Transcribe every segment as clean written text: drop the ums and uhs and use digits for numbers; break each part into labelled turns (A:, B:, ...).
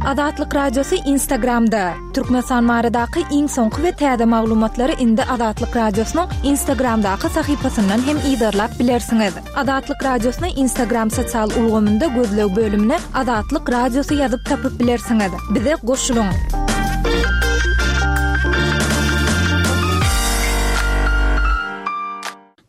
A: Azatlyk Radiosy Instagramda, Türkmenistan baradaky iň soňky we täze maglumatlary indi Azatlyk Radiosynyň Instagramdaky sahypasyndan hem yzarlap bilersiňiz. Azatlyk Radiosyny Instagram sosial ulgamynda gözleg bölümine Azatlyk Radiosy ýazyp tapyp bilersiňiz. Bize goşulyň!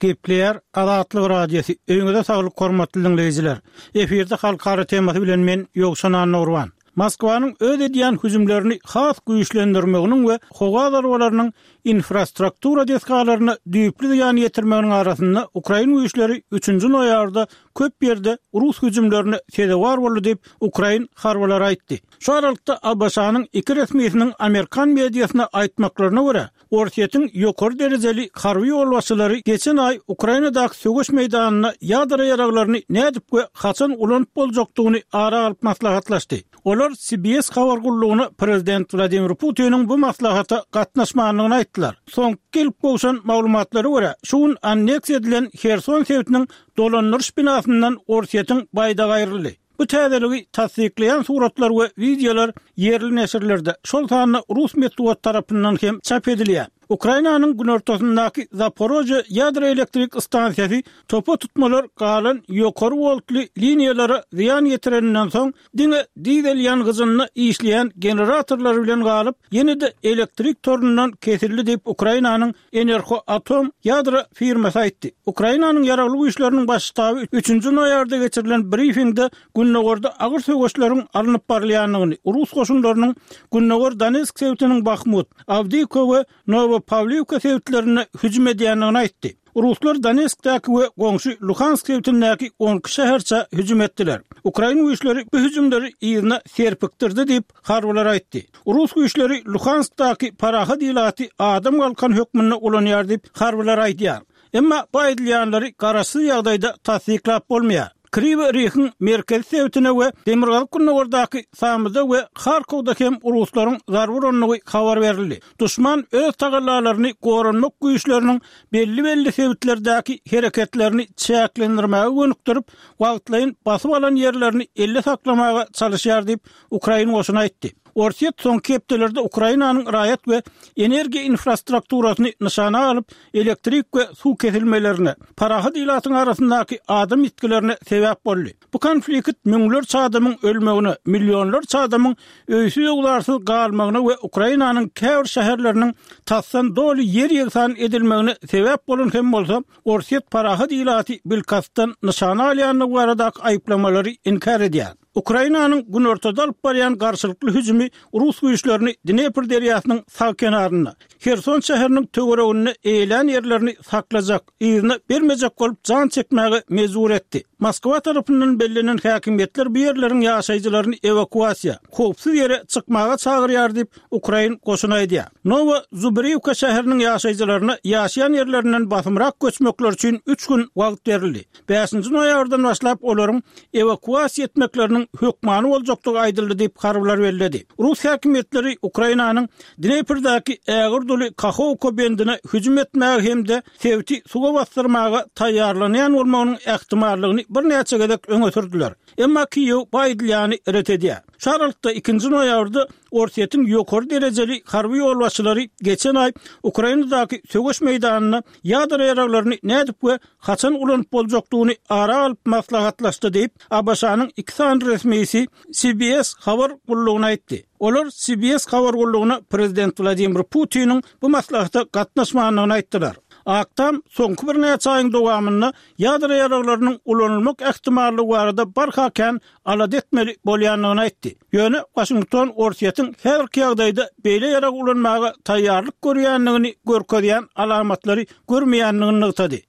B: Gepleýär Azatlyk Radiosy, Öýüňize saglyk hormatly diňleýjiler! Efirde halkara temasy bilen men Ýowşan Annagurban. Moskwanyň öz edýän hüjümlerini has güýçlendirmeginiň we howa zarbalarynyň infrastruktura desgalaryna düýpli zyýan ýetirmeginiň arasynda ukrain güýçleri üçünji noýabrda köp ýerde rus hüjümlerine sezewar boldy diýip, ukrain harbylary aýtdy. Şu aralykda ABŞ-nyň iki resmisiniň amerikan mediasyna aýtmaklaryna görä, Orsýetiň ýokary derejeli harby ýolbaşçylary geçen aý Ukrainadaky söweş meýdanynda ýadro ýaraglaryny nädip we haçan ulanyp boljakdygyny ara alyp maslahatlaşdy. Olar CBS habar gullugyna prezident Wladimir Putiniň bu maslahata gatnaşmandygyny aýtdylar. Soňky gelip gowşan maglumatlara görä, şu gün anneksiýa edilen Herson sebitiniň dolandyryş binasyndan Orsýetiň baýdagy aýryldy. Bu täzeligi tassyklaýan suratlar we wideolar ýerli neşirlerde, şol sanda rus metbugaty tarapyndan hem çap edilýär. Ukrainanyň günortasyndaky Zaporožýe ýadro elektrik stansiýasy topa tutmalar galan ýokary woltly liniýalara zyýan ýetireninden soň, diňe dizel ýangyjynda işleýän generatorlar bilen galyp, ýene-de elektrik torundan kesildi diýip, Ukrainanyň Enerhoatom ýadro firmasy aýtdy. Ukrainanyň Ýaragly Güýçleriniň Baş ştaby üçünji noýabrda geçirilen brifingde gündogarda agyr söweşleriň alnyp barylýandygyny, rus goşunlarynyň gündogar Donetsk sebitiniň Bahmut, Awdiýewka we Nowopawliwka sebitlerine hüjüm edýändigini aýtdy. Ruslar Donetskdäki we goňşy Luhansk sebitindäki 12 şäherçä hüjüm etdiler. Ukrain güýçleri bu hüjümleri yzyna serpikdirdi diýip, harbylar aýtdy. Rus güýçleri Luhanskdaky parahat ilaty adam galkany hökmünde ulanýar diýip, harbylar aýdýar. Emma bu aýdylýanlary garaşsyz ýagdaýda tassyklap bolmaýar. Kriwi Rihiň merkezi sebitine we demirgazyk-gündogardaky Samyda we Harkowda hem ruslaryň zarba urandygy habar berildi. Duşman öz tagallalaryny goranmak güýçleriniň belli-belli sebitlerdäki hereketlerini çäklendirmäge gönükdirip, wagtlaýyn basyp alan ýerlerini elde saklamaga çalyşýar diýip, ukrain goşuny aýtdy. Orsýet soňky hepdelerde Ukrainanyň raýat we energiýa infrastrukturasyny nyşana alyp, elektrik we suw kesilmelerine, parahat ilatyň arasyndaky adam ýitgilerine sebäp boldy. Bu konflikt müňlerçe adamyň ölmegine, millionlarça adamyň öýsüz-öwzarsyz galmagyna we Ukrainanyň käbir şäherleriniň tasdan doly ýer-ýegsan edilmegine sebäp bolan hem bolsa, Orsýet parahat ilaty bilkastdan nyşana alýandygy baradaky aýyplamalary inkär edýär. Ukrainanyň günortada alyp barýan garşylykly hüjümi rus güýçlerini Dnepr derýasynyň sag kenarynda, Herson şäheriniň töwereginde eýelän ýerlerini saklajak, yzyna bermejek bolup jan çekmäge mejbur etdi. Moskwa tarapyndan bellenen häkimiýetler bu ýerleriň ýaşaýjylaryny ewakuasiýa, howpsuz ýere çykmaga çagyrýar diýip, ukrain goşuny aýdýar. Nowa Zubriwka şäheriniň ýaşaýjylaryna ýaşaýan ýerlerinden basymrak göçmekleri üçin üç gün wagt berildi. Bäşinji noýabrdan başlap olaryň ewakuasiýa etmekleriniň hökmany boljakdygy aýdyldy diýip, harbylar belledi. Rus häkimiýetleri Ukrainanyň Dneprdäki ägirt uly Kahowka bendine hüjüm etmäge hem-de sebiti suwa basdyrmaga taýýarlanýan bolmagynyň ähtimallygyny birnäçe gezek öňe sürdüler. Emma Kiýew bu aýdylýany ret edýär. Şu aralykda, ikinji noýabrda Orsýetiň ýokary derejeli harby ýolbaşçylary geçen aý Ukrainadaky söweş meýdanynda ýadro ýaraglaryny nädip we haçan ulanyp boljakdygyny ara alyp maslahatlaşdy diýip, ABŞ-nyň iki sany resmisi CBS habar gullugyna aýtdy. Olar CBS habar gullugyna prezident Wladimir Putiniň bu maslahata gatnaşmandygyny aýtdylar. Ak Tam soňky birnäçe aýyň dowamynda ýadro ýaraglarynyň ulanylmak ähtimallygy barada barha kän alada etmeli bolýandygyny aýtdy. Ýöne Waşington Orsýetiň häzirki ýagdaýda beýle ýarag ulanmaga taýýarlyk görýändigini görkezýän alamatlary görmeýändigini nygtady.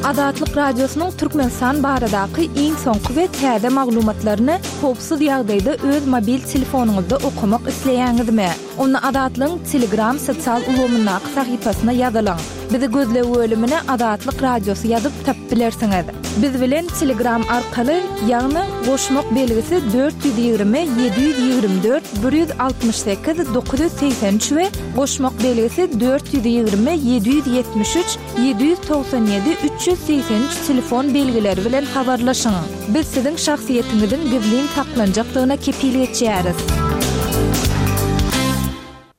A: Azatlyk Radiosynyň Türkmenistan baradaky iň soňky we täze maglumatlaryny howpsuz ýagdaýda öz mobil telefonyňyzda okamak isleýäňizmi? Onda Azatlygyň Telegram sosial ulgamyndaky sahypasyna ýazylyň. Bizi gözleg bölümine Azatlyk Radiosy ýazyp tapyp bilersiňiz. Biz bilen Telegram arkaly, ýagny goşmak belgisi 420 724 168 983 we goşmak belgisi 420 773 797 383 telefon belgileri bilen habarlaşyň. Biz siziň şahsyýetiňiziň gizlin saklanjakdygyna kepil geçýäris.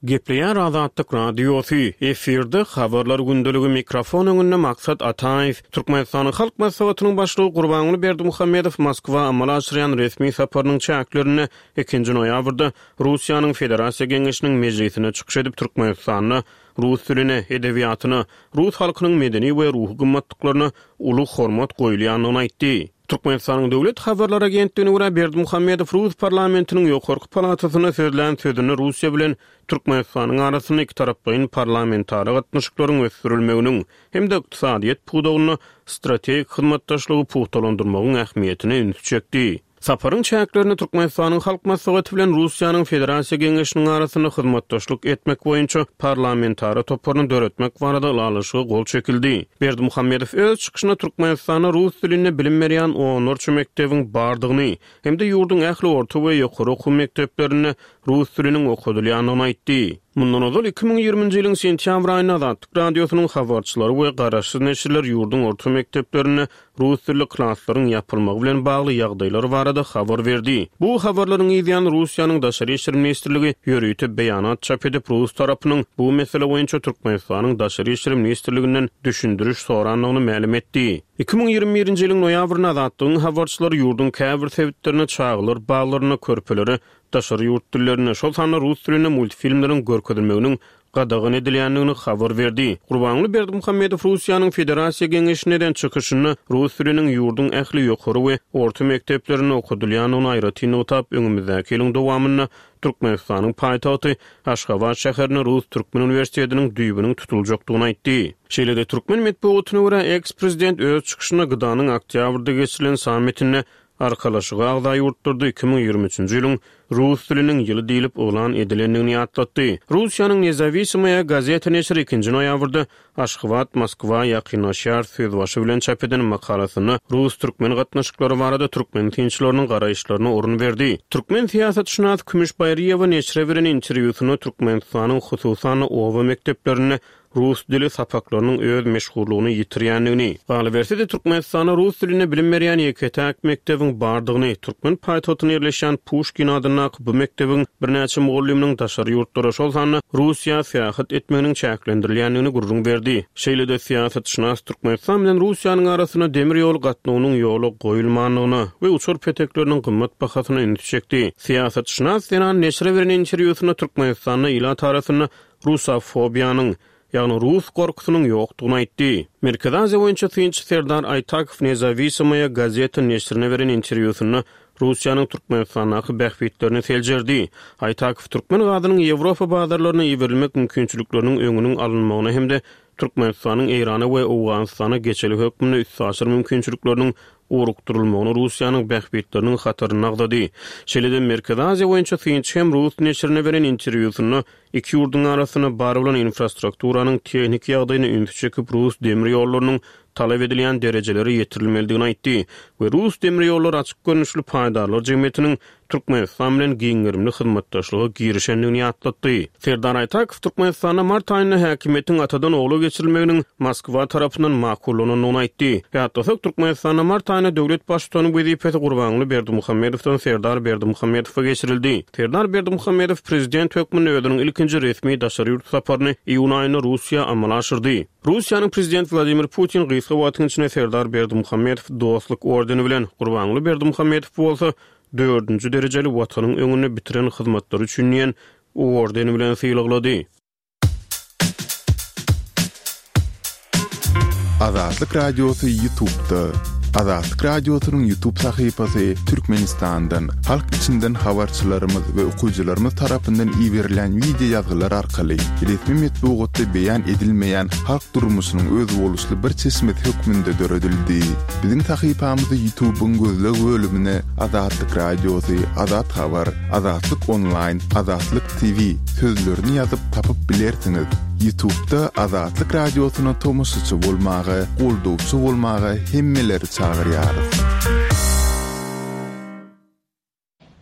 C: Gepleýär Azatlyk Radiosy, efirde Habarlar gündeligi, mikrofon öňünde Maksat Ataýew. Türkmenistanyň Halk Maslahatynyň Başlygy Gurbanguly Berdimuhamedow Moskwa amala aşyrýan resmi saparynyň çäklerinde ikinji noýabrda Russiýanyň Federasiýa Geňeşiniň mejlisinde çykyş edip, Türkmenistanda rus diline, edebiýatyna, rus halkynyň medeni we ruhy gymmatlyklaryna uly hormat goýulýandygyny aýtdy. Türkmenistanyň Döwlet habarlar agentligine görä, Berdimuhamedow rus parlamentiniň ýokarky palatasynda sözlän sözünde Russiýa bilen Türkmenistanyň arasynda ikitaraplaýyn parlamentara gatnaşyklaryň ösdürilmeginiň hem-de ykdysadyýet pudagynda strategik hyzmatdaşlygy pugtalandyrmagyň ähmiýetine ünsi çekdi. Saparyň çäklerinde Türkmenistanyň Halk Maslahaty bilen Russiýanyň Federasiýa Geňeşiniň arasynda hyzmatdaşlyk etmek boýunça parlamentara toparyny döretmek barada ylalaşyga gol çekildi. Berdimuhamedow öz çykyşynda Türkmenistanda rus dilinde bilim berýän onlarça mekdebiň bardygyny hem-de ýurduň ähli orta we ýokary okuw mekdeplerinde rus diliniň okadylýandygyny aýtdy. Mundan ozal, 2020-nji ýylyň sentýabr aýynda Azatlyk Radiosynyň habarçylary we garaşsyz neşirler ýurduň orta mekdeplerinde rus dilli klaslaryň ýapylmagy bilen bagly ýagdaýlar barada habar berdi. Bu habarlaryň yzýany Russiýanyň Daşary işler ministrligi ýörite beýanat çap edip, rus tarapynyň bu mesele boýunça Türkmenistanyň Daşary işler ministrliginden düşündiriş sorandygyny mälim etdi. 2021-nji ýylyň noýabrynda Azatlygyň habarçylary ýurduň käbir sebitlerinde çagalar baglarynda körpelere daşary ýurt dillerinde, şol sanda rus dilinde multfilmleriň görkezilmeginiň gadagan edilýändigini habar berdi. Gurbanguly Berdimuhamedow Russiýanyň Federasiýa Geňeşinde eden çykyşynda rus diliniň ýurduň ähli ýokary we orta mekdeplerinde okadylýandygyny aýratyn nygtap, öňümizdäki ýylyň dowamynda Türkmenistanyň paýtagty Aşgabat şäherinde Rus-türkmen uniwersitetiniň düýbüniň tutuljakdygyny aýtdy. Şeýle-de, türkmen metbugatyna görä, eks-prezident öz çykyşynda GDA-nyň oktýabrda geçirilen sammitinde Arkalaşyga agza ýurtlarda 2023-nji ýylyň rus diliniň ýyly diýlip yglan edilendigini ýatlatdy. Russiýanyň Nezawisimoýa gazeta neşiri ikinji noýabrda Aşgabat Moskwa ýakynlaşýar sözbaşy bilen çap eden makalasynda rus-türkmen gatnaşyklary barada türkmen synçylarynyň garaýyşlaryna orun berdi. Türkmen syýasatşynasy Kümüş Baýryýewa neşire beren interwýusynda Türkmenistanyň hususan-da oba mekdeplerinde rus dili sapaklarynyň öz meşhurlygyny ýitirýändigini, galyberse-de Türkmenistanda rus dilinde bilim berýän ýeke-täk mekdebiň bardygyny, türkmen paýtagtynda ýerleşýän Puşkin adyndaky bu mekdebiň birnäçe mugallymynyň daşary ýurtlara, şol sanda Russiýa syýahat etmeginiň çäklendirilýändigini gürrüň berdi. Şeýle-de syýasatşynas Türkmenistan bilen Russiýanyň arasynda demir ýol gatnawynyň ýola goýulmandygyna we uçar petekleriniň gymmat bahasyna ünsi çekdi. Syýasatşynas zenan neşire beren interwýusynda Türkmenistanda ilat arasynda rusofobiýanyň, ýagny rus gorkusynyň ýokdugyny aýtdy. Merkezi Aziýa boýunça synçy Serdar Aýtakow Nezawisimoýa gazeta neşirine beren interwýusynda Russiýanyň Türkmenistandaky bähbitlerini seljerdi. Aýtakow türkmen gazynyň Ýewropa bazarlaryna iberilmek mümkinçilikleriniň öňüniň alynmagyna hem-de Türkmenistanyň Eýrana we Owganystana geçelge hökmünde üstaşyr mümkinçilikleriniň ugrukdyrylmagyny Russiýanyň bähbitleriniň hatarynda agzady. Şeýle-de Merkezi Aziýa boýunça synçy hem rus neşirine beren interwýusynda Iki ýurduň arasynda bar bolan infrastrukturanyň tehniki ýagdaýyna ünsi çekip, rus demir ýollarynyň talap edilýän derejelere ýetirilmelidigini aýtdy we Rus demir ýollary açyk görnüşli paýdarlar jemgyýetiniň Türkmenistan bilen giň gerimli hyzmatdaşlyga girişendigini ýatlatdy. Serdar Aýtakow Türkmenistanda mart aýynda häkimiýetiň atadan ogla geçirilmeginiň Moskwa tarapyndan makullanandygyny aýtdy. Ýatlasak, Türkmenistanda mart aýynda döwlet baştutany wezipesi Gurbanguly Berdimuhamedowdan Serdar Berdimuhamedowa geçirildi. Serdar Berdimuhamedow prezident hökmünde özüniň ilkinji resmi daşary ýurt saparyny iýun aýynda Russiýa amala aşyrdy. Russiýanyň prezidenti Wladimir Putin gysga wagtyň içinde Serdar Berdimuhamedow Dostluk ordeni bilen, Gurbanguly Berdimuhamedow bolsa dördünji derejeli Watanyň öňünde bitiren hyzmatlary üçin diýen ordeni bilen sylaglady.
D: Azatlyk Radiosy Ýutubda. Azatlyk Radiosynyň Ýutub sahypasy Türkmenistandan, halk içinden habarçylarymyz we okyjylarymyz tarapyndan iberilen wideo ýazgylar arkaly resmi metbugatda beýan edilmeýän halk durmuşynyň özboluşly bir çeşmesi hökmünde döredildi. Biziň sahypamyzy Ýutubyň gözleg bölümine Azatlyk Radiosy, Azat Habar, Azatlyk Onlaýn, Azatlyk TV sözlerini ýazyp tapyp bilersiňiz. Ýutubda Azatlyk Radiosyna tomaşaçy bolmaga, goldawçy bolmaga hemmeleri çagyrýarys.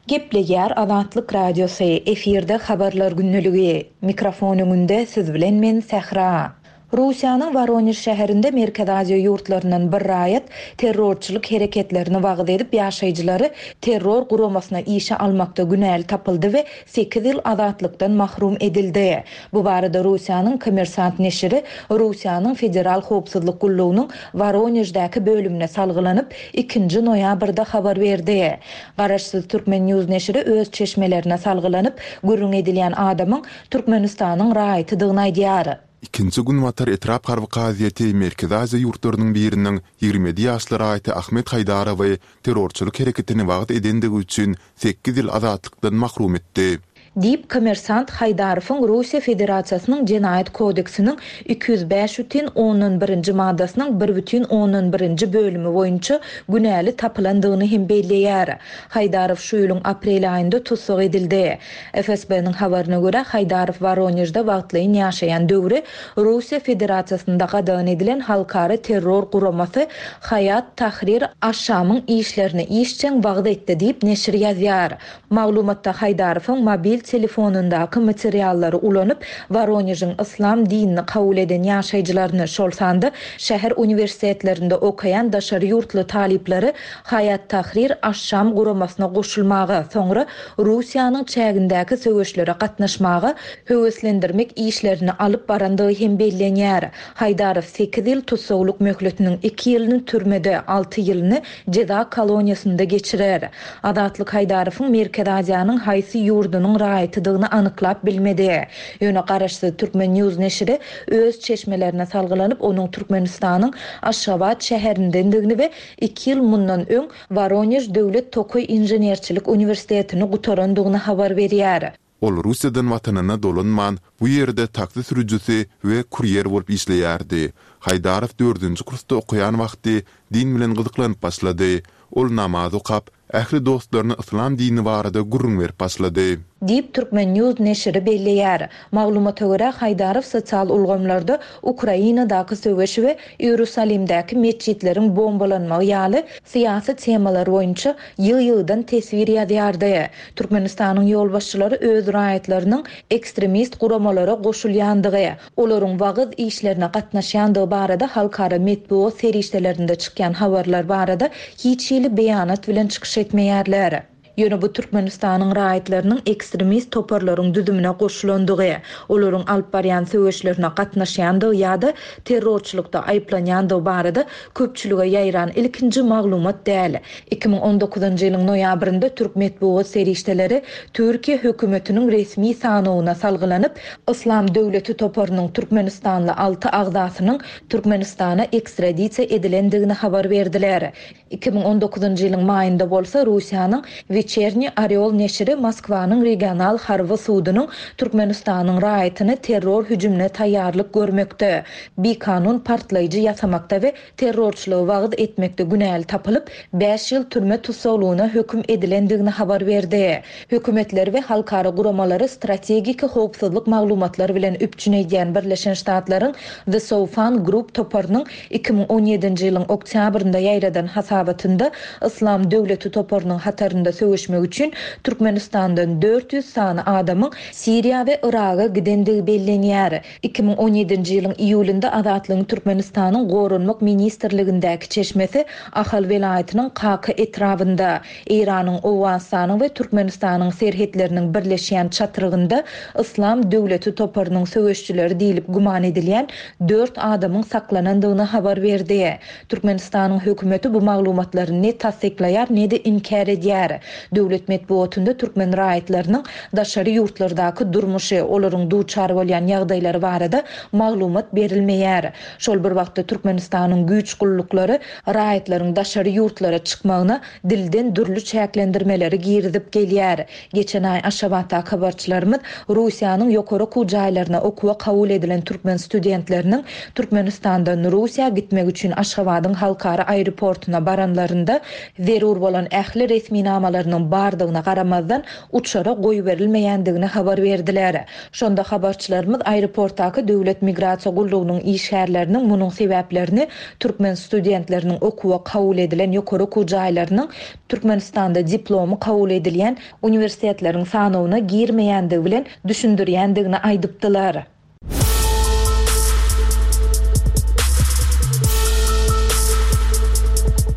A: Gepleýär Azatlyk Radiosy, efirde Habarlar gündeligi. Mikrofon öňünde siz bilen men Sähra. Russiýanyň Woronež şäherinde Merkezi Aziýa ýurtlaryndan bir raýat terrorçylyk hereketlerini wagyz edip ýaşaýjylary terror guramasyna işe almakda günäli tapyldy we sekiz ýyl azatlykdan mahrum edildi. Bu barada Russiýanyň Kommersant neşiri Russiýanyň Federal howpsuzlyk gullugynyň Woroneždäki bölümine salgylanyp, ikinji noýabrda habar berdi. Garaşsyz Turkmen News neşiri öz çeşmelerine salgylanyp, gürrüň edilýän adamyň Türkmenistanyň raýatydygyny aýdýar.
D: Ikinji Günbatar etrap harby kazyýeti Merkezi Aziýa ýurtlarynyň biriniň 27 ýaşly raýaty Ahmet Haýdarowy terrorçylyk hereketini wagyz edendigi üçin sekiz ýyl azatlykdan mahrum etdi.
A: Diýip, Kommersant Haýdarowyň Russiýa Federasiýasynyň Jenaýat kodeksiniň 205 bütin ondan birinji maddasynyň bir bütin ondan birinji bölümi boýunça günäli tapylandygyny hem belleýär. Haýdarow şu ýylyň aprel aýynda tussag edildi. FSB-niň habaryna görä, Haýdarow Woronežde wagtlaýyn ýaşaýan döwri Russiýa Federasiýasynda gadagan edilen halkara terror guramasy Haýat Tahrir aş-Şamyň işlerini işjeň wagyz etdi diýip, neşir ýazýar. Maglumatda Haýdarowyň mobil telefonyndaky materiallary ulanyp, Woronežiň yslam dinini kabul eden ýaşaýjylaryny, şol sanda şäher uniwersitetlerinde okaýan daşary ýurtly talyplary Haýat Tahrir aş-Şam guramasyna goşulmaga, soňra Russiýanyň çägindäki söweşlere gatnaşmaga höweslendirmek işlerini alyp barandygy hem bellenýär. Haýdarow sekiz ýyl tussaglyk möhletiniň iki ýylyny türmede, alty ýylyny jeza koloniýasynda geçirer. Azatlyk Haýdarowyň Merkezi Aziýanyň haýsy ýurdunyň raýatydygyny anyklap bilmedi. Ýöne garaşsyz Turkmen News neşiri öz çeşmelerine salgylanyp, onuň Türkmenistanyň Aşgabat şäherindendigini we iki ýyl mundan öň Woronež döwlet tokaý inženerçilik uniwersitetini gutarandygyny habar berýär.
D: Ol Russiýadan watanyna dolanman, bu ýerde taksi sürüjisi we kurýer bolup işleýärdi. Haýdarow dördünji kursda okaýan wagty din bilen gyzyklanyp başlady. Ol namaz okap, ähli dostlaryna yslam dini barada gürrüň berip başlady.
A: Diýip, Turkmen News neşiri belleýär. Maglumata görä, Haýdarow sosial ulgamlarda Ukrainadaky söweş we Iýerusalimdäki metjitleriň bombalanmagy ýaly syýasy temalar boýunça ýygy-ýygydan teswir ýazýardy. Türkmenistanyň ýolbaşçylary öz raýatlarynyň ekstremist guramalara goşulýandygy, olaryň wagyz işlerine gatnaşýandygy barada halkara metbugat serişdelerinde çykýan habarlar barada hiç hili beýanat bilen çykyş etmeýärler. Ýöne bu Türkmenistanyň raýatlarynyň ekstremist toparlaryň düzümine goşulandygy, olaryň alyp barýan söweşlerine gatnaşýandygy ýa-da terrorçylykda aýyplanýandygy barada köpçülige ýaýran ilkinji maglumat däl. 2019-njy ýylyň noýabrynda türk metbugat serişdeleri Türkiýe hökümetiniň resmi sanawyna salgylanyp, Yslam döwleti toparynyň türkmenistanly alty agzasynyň Türkmenistana ekstradisiýa edilendigini habar berdiler. 2019-njy ýylyň maýynda bolsa Russiýanyň Weçerniý Orýol neşiri Moskwanyň regional harby sudunyň Türkmenistanyň raýatyny terror hüjümine taýýarlyk görmekde, bikanun partlaýjy ýasamakda we terrorçylygy wagyz etmekde günäli tapylyp, bäş ýyl türme tussaglygyna höküm edilendigini habar berdi. Hökümetleri we halkara guramalary strategik howpsuzlyk maglumatlar bilen üpjün edýän Birleşen Ştatlaryň The Soufan Group toparynyň 2017-nji ýylyň oktýabrynda ýaýradan hasabatynda Yslam döwleti toparynyň hatarynda söweşmek üçin Türkmenistandan 400 sany adamyň Siriýa we Yraga gidendigi bellenýär. 2017-nji ýylyň iýulynda Azatlygyň Türkmenistanyň Goranmak ministrligindäki çeşmesi Ahal welaýatynyň Kaka etrabynda, Eýranyň, Owganystanyň we Türkmenistanyň serhetleriniň birleşýän çatrygynda Yslam döwleti toparynyň söweşçileri diýlip güman edilýän dört adamyň saklanandygyny habar berdi. Türkmenistanyň hökümeti bu maglumatlary ne tassyklaýar, ne-de inkär edýär. Döwlet metbugatynda türkmen raýatlarynyň daşary ýurtlardaky durmuşy, olaryň duçar bolýan ýagdaýlary barada maglumat berilmeýär. Şol bir wagtda Türkmenistanyň güýç gulluklary raýatlaryň daşary ýurtlara çykmagyna dilden dürli çäklendirmeleri girizip gelýär. Geçen aý Aşgabatdaky habarçylarymyz Russiýanyň ýokary okuw jaýlaryna okuwa kabul edilen türkmen studentleriniň Türkmenistandan Russiýa gitmek üçin Aşgabadyň halkara aeroportuna baranlarynda zerur bolan ähli resminamalaryny. dokumentleriniň bardygyna garamazdan, uçara goýberilmeýändigini habar berdiler. Şonda habarçylarymyz aeroportdaky Döwlet migrasiýa gullugynyň işgärleriniň munuň sebäplerini türkmen studentleriniň okuwa kabul edilen ýokary okuw jaýlarynyň Türkmenistanda diplomy kabul edilýän uniwersitetleriň sanawyna girmeýändigi bilen düşündirýändigini aýdypdylar.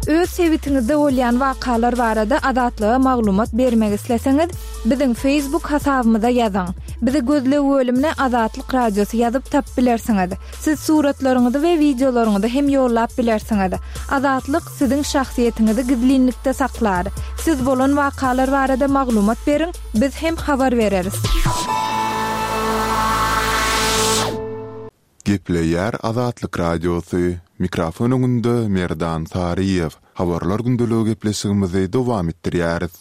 A: Öz sebitiňizde bolýan wakalar barada Azatlyga maglumat bermek isleseňiz, biziň Facebook hasabymyza ýazyň. Bizi gözleg bölümine Azatlyk Radiosy ýazyp tapyp bilersiňiz. Siz suratlaryňyzy we wideolaryňyzy hem ýollap bilersiňiz. Azatlyk siziň şahsyýetiňizi gizlinlikde saklar. Siz bolan wakalar barada maglumat beriň, biz hem habar bereris.
D: Gepleýär Azatlyk Radiosy, Mikrofon öňünde Merdan Saryýew. Habarlar gündeligi gepleşigimizi dowam etdirýäris.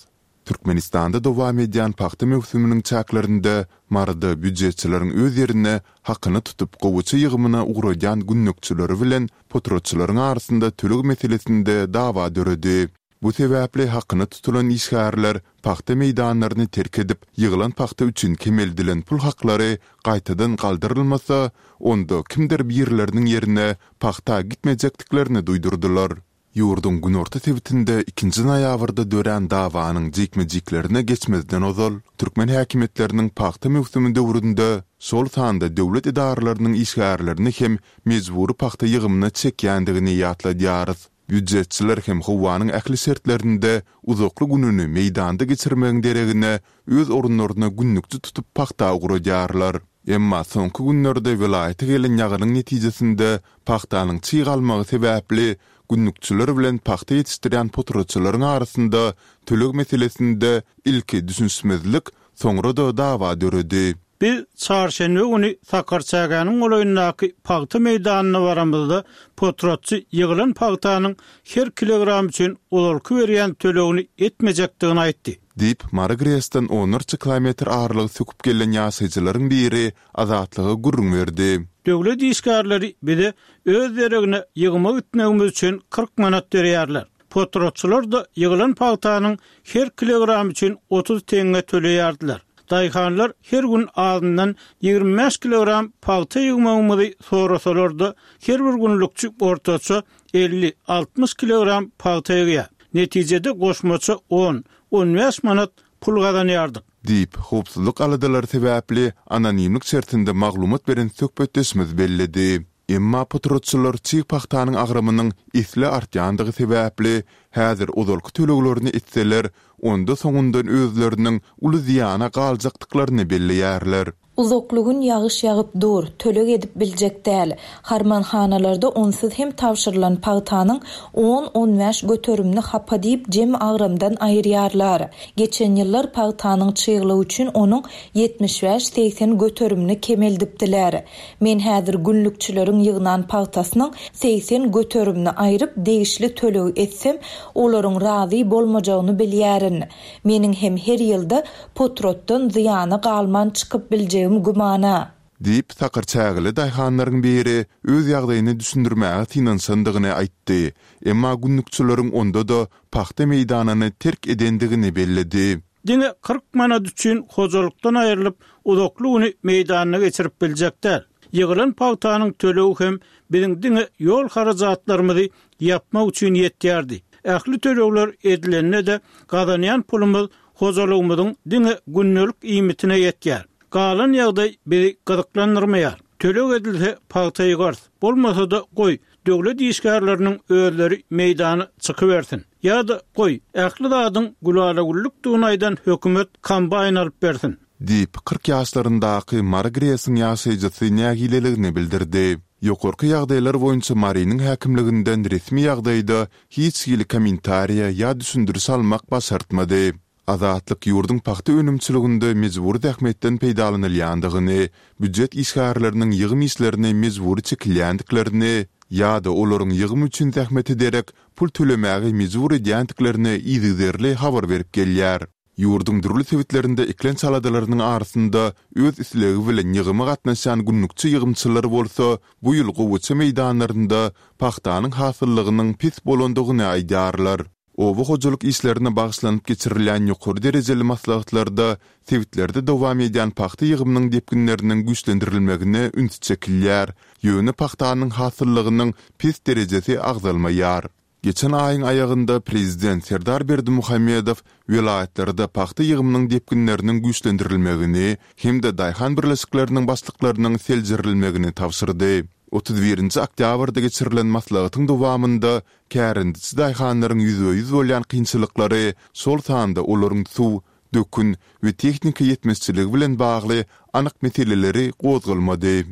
D: Türkmenistanda dowam edýän pagta möwsüminiň çäklerinde Maryda býujetçileriň öz ýerine hakyna tutup gowaça ýygymyna ugradýan günlükçileri bilen potratçylaryň arasynda töleg meselesinde dawa döredi. Bu sebäpli hakyna tutulan işgärler pagta meýdanlaryny terk edip, ýygylan pagta üçin kemeldilen pul haklary gaýtadan galdyrylmasa, onda kimdir birleriniň ýerine pagta gitmejekdiklerini duýdurdylar. Ýurduň günorta sebitinde ikinji noýabrda dörän dawanyň jikme-jiklerine geçmezden ozal, türkmen häkimiýetleriniň pagta möwsümi döwründe, şol sanda döwlet edaralarynyň işgärlerini hem mejbury pagta ýygymyna çekýändigini ýatladýarys. Býujetçiler hem howanyň ähli şertlerinde uzakly gününi meýdanda geçirmegiň deregine öz orunlaryna günlükçi tutup pagta ugradýarlar. Emma soňky günlerde welaýata gelen ýagynyň netijesinde pagtanyň çyg almagy sebäpli günlükçiler bilen pagta ýetişdirýän potratçylaryň arasynda töleg meselesinde ilki düşünişmezlik, soňra-da dawa döredi.
B: Biz çarşenbe güni Sakarçägäniň golaýyndaky pagta meýdanyna baramyzda, potratçy ýygylan pagtanyň her kilogramy üçin ozalky berýän tölegini etmejekdigini aýtdy.
D: Diýip, Mary GRES-den onlarça kilometr aralygy söküp gelen ýaşaýjylaryň biri Azatlyga gürrüň berdi.
B: Döwlet işgärleri bize öz deregine ýygyma gitmegimiz üçin 40 manat berýärler. Potratçylar-da ýygylan pagtanyň her kilogramy üçin 30 teňňe töleýärdiler. Daýhanlar her gün azyndan 25 kilogram pagta ýygmagymyzy sorasalar-da, her bir günlükçi ortaça 50, 60 kilogram pagta ýygýar. Netijede goşmaça on, on bäş manat pul gazanýardyk.
D: Diýip, howpsuzlyk aladalary sebäpli anonimlik şertinde maglumat beren söhbetdeşimiz belledi. Emma potratçylar çig pagtanyň agramynyň esli artýandygy sebäpli, häzir ozalky töleglerini etseler, onda soňundan özleriniň uly zyýana galjakdyklaryny belleýärler.
A: Uzakly gün ýagyş ýagyp dur, töleg edip biljek däl. Harmanhanalarda onsuz hem tabşyrylan pagtanyň on-on bäş göterimini hapa diýip jem agramdan aýyrýarlar. Geçen ýyllar pagtanyň çyglygy üçin onuň 75-80 göterimini kemeldipdiler. Men häzir günlükçileriň ýygnan pagtasynyň 80 göterimini aýryp degişli tölegi etsem, olaryň razy bolmajagyny bilýärin. Meniň hem her ýylda potratdan zyýana galman çykyp biljegim gümana.
D: Diýip, sakarçägeli daýhanlaryň biri öz ýagdaýyny düşündirmäge synanyşandygyny aýtdy, emma günlükçileriň onda-da pagta meýdanyny terk edendigini belledi.
B: Diňe 40 manat üçin hojalykdan aýrylyp, uzakly güni meýdanda geçirip biljek däl. Ýygylan pagtanyň tölegi hem biziň diňe ýol harajatlarymyzy ýapmak üçin ýetýärdi. Ähli tölegler edilende-de, gazanýan pulumyz hojalygymyzyň diňe gündelik iýmitine ýetýär. Galan ýagdaý bizi gyzyklandyrmaýar. Töleg edilse, pagta ýygarys. Bolmasa-da, goý, döwlet işgärleriniň özleri meýdana çykybersin. Ýa-da, goý, ähli zadyň gülala-güllükdigini aýdan hökümet kombaýn alyp bersin.
D: Diýip, 40 ýaşlaryndaky Mary GRES-iň ýaşaýjysy nägileligini bildirdi. Ýokarky ýagdaýlar boýunça Marynyň häkimliginden resmi ýagdaýda hiç hili kommentariýa ýa düşündiriş almak başartmady. Azatlyk ýurduň pagta önümçiliginde mejbury zähmetden peýdalanylýandygyny, býujet işgärleriniň ýygym işlerine mejbury çekilýändiklerini ýa-da olaryň ýygym üçin zähmete derek pul tölemäge mejbur edýändiklerini yzygiderli habar berip gelýär. Ýurduň dürli sebitlerinde eklenç aladalarynyň arasynda öz islegi bilen ýygyma gatnaşýan günlükçi ýygymçylar bolsa bu ýyl gowaça meýdanlarynda pagtanyň hasyllygynyň pes bolandygyny aýdýarlar. Oba hojalyk işlerine bagyşlanyp geçirilýän ýokary derejeli maslahatlarda sebitlerde dowam edýän pagta ýygymynyň depginleriniň güýçlendirilmegine üns çekilýär, ýöne pagtanyň hasyllygynyň pes derejesi agzalmaýar. Geçen aýyň aýagynda prezident Serdar Berdimuhamedow welaýatlarda pagta ýygymynyň depginleriniň güýçlendirilmegini hem-de daýhan birleşikleriniň başlyklarynyň seljerilmegini tabşyrdy. 31-nji oktýabrda geçirilen maslahatyň dowamynda kärendeçi daýhanlaryň ýüzbe-ýüz bolýan kynçylyklary, şol sanda olaryň suw, dökün we tehnika ýetmezçiligi bilen bagly anyk meseleleri gozgalmady.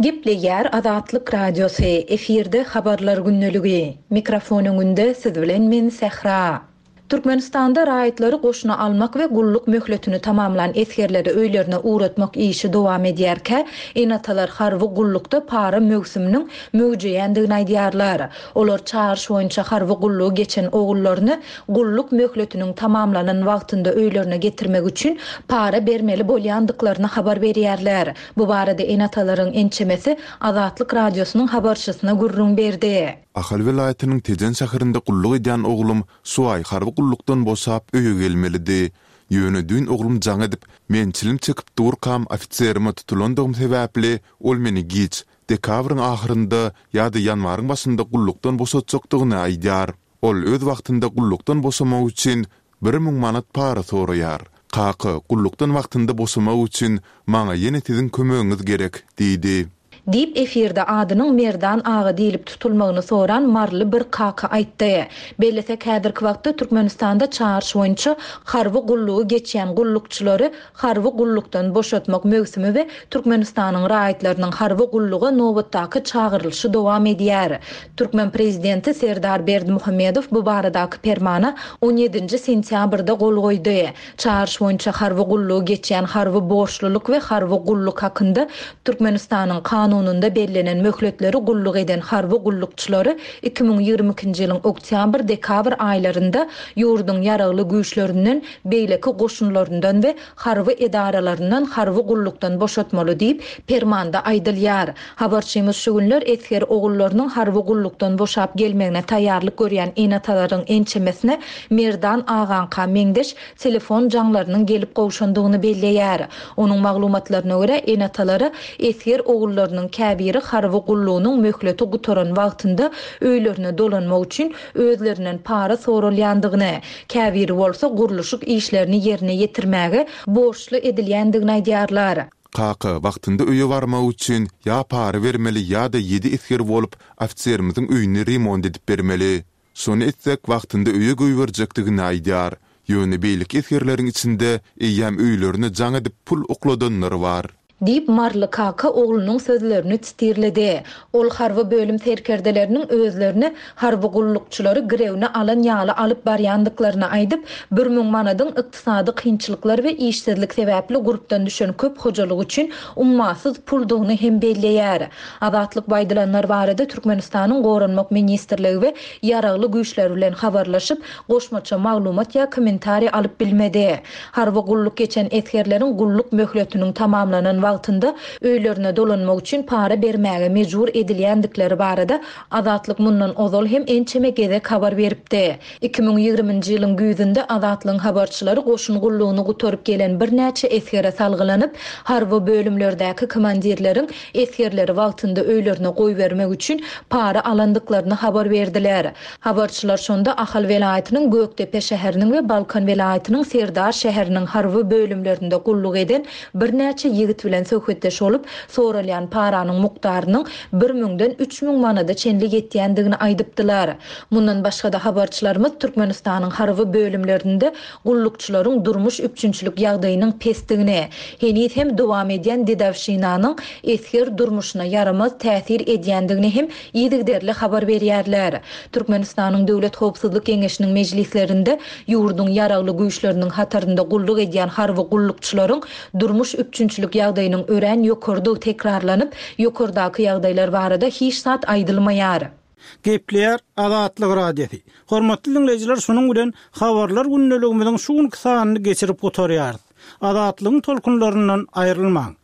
A: Gepleýär Azatlyk Radiosy, efirde Habarlar gündeligi. Mikrofon öňünde siz bilen men Sähra. Türkmenistanda raýatlary goşuna almak we gulluk möhletini tamamlan esgerleri öýlerine ugratmak işi dowam edýärkä, ene-atalar harby gullukda para möwsüminiň möwjeýändigini aýdýarlar. Olar çagyryş boýunça harby gullugy geçen ogullaryny gulluk möhletiniň tamamlanan wagtynda öýlerine getirmek üçin para bermeli bolýandyklaryny habar berýärler. Bu barada ene-atalaryň ençemesi Azatlyk Radiosynyň habarçysyna gürrüň berdi.
D: Ahal welaýatynyň Tejen şäherinde gulluk edýän oglum şu aý harby gullukdan boşap öýe gelmelidi. Ýöne düýn oglum jaň edip, men çilim çekip durkam ofiserime tutulandygym sebäpli ol meni giç, dekabryň ahyrynda ýa-da ýanwaryň başynda gullukdan boşatjakdygyny aýdýar. Ol öz wagtynda gullukdan boşamak üçin 1000 manat para soraýar. Kaka, gullukdan wagtynda boşamak üçin maňa ýene siziň kömegiňiz gerek, diýdi.
A: Diýip, efirde adynyň Merdan aga diýlip tutulmagyny soran maryly bir kaka aýtdy. Bellesek, häzirki wagtda Türkmenistanda çagyryş boýunça harby gullugy geçýän gullukçylary harby gullukdan boşatmak möwsümi we Türkmenistanyň raýatlarynyň harby gulluga nobatdaky çagyrylyşy dowam edýär. Türkmen prezidenti Serdar Berdimuhamedow bu baradaky permana on ýedinji sentýabrda gol goýdy. Çagyryş boýunça harby gullugy geçýän harby borçlulyk we harby gulluk hakynda Türkmenistanyň Kanunynda bellenen möhletleri gulluk eden harby gullukçylary 2022-nji ýylyň oktýabr-dekabr aýlarynda ýurduň Ýaragly Güýçlerinden, beýleki goşunlaryndan we harby edaralaryndan harby gullukdan boşatmaly diýip, permanda aýdylýar. Habarçymyz şu günler esger ogullarynyň harby gullukdan boşap gelmegine taýýarlyk görýän ene-atalaryň ençemesine Merdan agaňka meňzeş telefon jaňlarynyň gelip gowşandygyny belleýär. Onuň maglumatlaryna görä, ene-atalara esger ogullarynyň käbiri harby gullugynyň möhleti gutaran wagtynda öýlerine dolanmak üçin özlerinden para soralýandygyny, käbiri bolsa gurluşyk işlerini ýerine ýetirmäge borçly edilýändigini aýdýarlar.
D: Kaka, wagtynda öýe barmak üçin ýa para bermeli ýa-da ýedi esger bolup, ofiserimiziň öýüni remont edip bermeli. Şony etsek, wagtynda öýe goýberjekdigini aýdýar. Ýöne beýleki esgerleriň içinde eýýäm öýlerine jaň edip pul okladanlar bar.
A: Diýip, Maryly kaka oglunyň sözlerini titirledi. Ol harby bölüm serkerdeleriniň özlerini harby gullukçylary girewine alan ýaly alyp barýandyklaryny aýdyp, 1000 manadyň ykdysady kynçylyklar we işsizlik sebäpli gurpdan düşen köp hojalyk üçin ummasyz puldugyny hem belleýär. Azatlyk bu aýdylanlar barada Türkmenistanyň Goranmak ministrligi we Ýaragly Güýçleri bilen habarlaşyp, goşmaça maglumat ýa kommentariý alyp bilmedi. Harby gulluk geçen esgerleriň gulluk möhletiniň tamamlanan wagtynda öýlerine dolanmak üçin para bermäge mejbur edilýändikleri barada Azatlyk mundan ozal hem ençeme gezek habar beripdi. 2020-nji ýylyň güýzünde Azatlygyň habarçylary goşun gullugyny gutaryp gelen birnäçe esgere salgylanyp, harby bölümlerdäki komandirleriň esgerleri wagtynda öýlerine goýbermek üçin para alandyklaryny habar berdiler. Habarçylar şonda Ahal welaýatynyň Gökdepe şäheriniň we Balkan welaýatynyň Serdar şäheriniň harby bölümlerinde gulluk eden birnäçe ýigit bilen söhbetdeş bolup, soralýan paranyň mukdarynyň bir müňden 3000 manada çenli ýetýändigini aýdypdylar. Mundan başga-da habarçylarymyz Türkmenistanyň harby bölümlerinde gullukçylaryň durmuş üpjünçilik ýagdaýynyň pesdigini, heniz hem dowam edýän dedowşinanyň esger durmuşyna ýaramaz täsir edýändigini hem yzygiderli habar berýärler. Türkmenistanyň Döwlet howpsuzlyk geňeşiniň mejlislerinde ýurduň Ýaragly Güýçleriniň hatarynda gulluk edýän harby gullukçylaryň durmuş üpjünçilik ýagdaýynyň örän ýokarydygy tekrarlanyp, ýokardaky ýagdaýlar barada hiç zat aýdylmaýar.
B: Gepleýär Azatlyk Radiosy. Hormatly diňleýjiler şunuň bilen Habarlar gündeligimiziň şu günki sanyny geçirip gutarýarys. Azatlygyň tolkunlaryndan aýrylmaň.